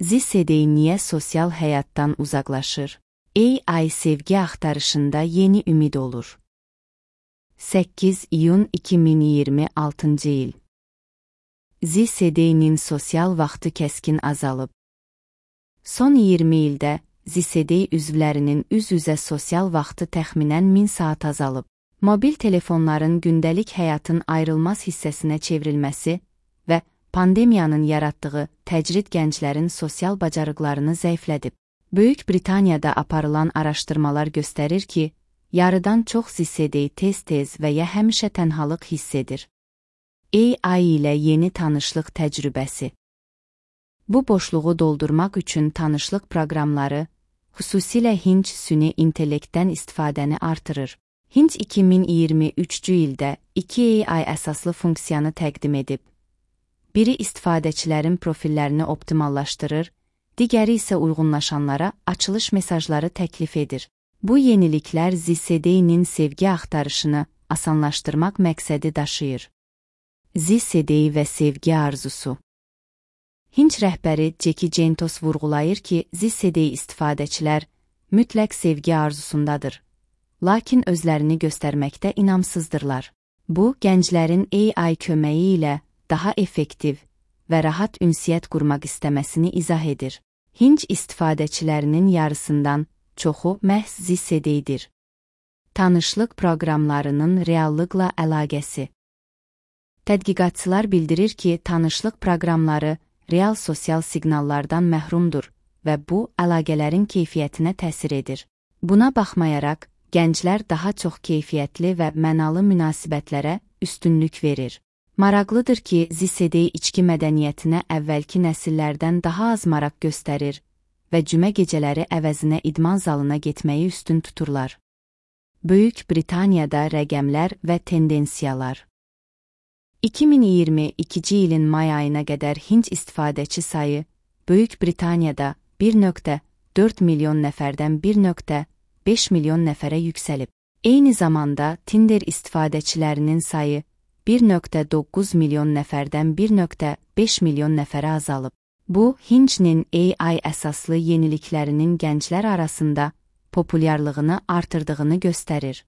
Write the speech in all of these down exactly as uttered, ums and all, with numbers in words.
Zisedey niyə sosial həyatdan uzaqlaşır? A I sevgi axtarışında yeni ümid olur. səkkiz iyun iki min iyirmi altıncı il. Zisedey'nin sosial vaxtı kəskin azalıb. Son iyirmi ildə Zisedey üzvlərinin üz-üzə sosial vaxtı təxminən min saat azalıb. Mobil telefonların gündəlik həyatın ayrılmaz hissəsinə çevrilməsi və pandemiyanın yaratdığı təcrid gənclərin sosial bacarıqlarını zəiflədib. Böyük Britaniyada aparılan araşdırmalar göstərir ki, yarıdan çox Zisedey tez-tez və ya həmişə tənhalıq hiss edir. A I ilə yeni tanışlıq təcrübəsi. Bu boşluğu doldurmaq üçün tanışlıq proqramları, xüsusilə Hinge süni intellektdən istifadəni artırır. Hinge iki min iyirmi üçüncü ildə iki A I əsaslı funksiyanı təqdim edib. Biri istifadəçilərin profillərini optimallaşdırır, digəri isə uyğunlaşanlara açılış mesajları təklif edir. Bu yeniliklər Zisedey'nin sevgi axtarışını asanlaşdırmaq məqsədi daşıyır. Zisedey və sevgi arzusu. Hinge rəhbəri Jackie Gentos vurğulayır ki, Zisedey istifadəçilər mütləq sevgi arzusundadır, lakin özlərini göstərməkdə inamsızdırlar. Bu, gənclərin A I köməyi ilə daha effektiv və rahat ünsiyyət qurmaq istəməsini izah edir. Hinge istifadəçilərinin yarısından çoxu məhz Zisedey'dir. Tanışlıq proqramlarının reallıqla əlaqəsi. Tədqiqatçılar bildirir ki, tanışlıq proqramları real sosial siqnallardan məhrumdur və bu, əlaqələrin keyfiyyətinə təsir edir. Buna baxmayaraq, gənclər daha çox keyfiyyətli və mənalı münasibətlərə üstünlük verir. Maraqlıdır ki, Zisedey içki mədəniyyətinə əvvəlki nəsillərdən daha az maraq göstərir və cümə gecələri əvəzinə idman zalına getməyi üstün tuturlar. Böyük Britaniyada rəqəmlər və tendensiyalar. iki min iyirmi ikinci ilin may ayına qədər Hinge istifadəçi sayı Böyük Britaniyada bir nöqtə dörd milyon nəfərdən bir nöqtə beş milyon nəfərə yüksəlib. Eyni zamanda Tinder istifadəçilərinin sayı bir nöqtə doqquz milyon nəfərdən bir nöqtə beş milyon nəfərə azalıb. Bu, Hinge'nin A I əsaslı yeniliklərinin gənclər arasında populyarlığını artırdığını göstərir.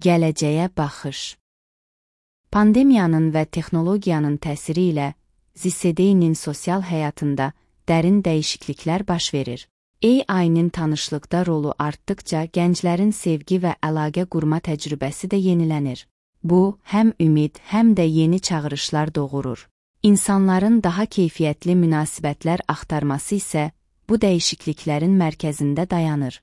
Gələcəyə baxış. Pandemiyanın və texnologiyanın təsiri ilə Zisedey'nin sosial həyatında dərin dəyişikliklər baş verir. A I-nin tanışlıqda rolu artdıqca gənclərin sevgi və əlaqə qurma təcrübəsi də yenilənir. Bu, həm ümid, həm də yeni çağırışlar doğurur. İnsanların daha keyfiyyətli münasibətlər axtarması isə bu dəyişikliklərin mərkəzində dayanır.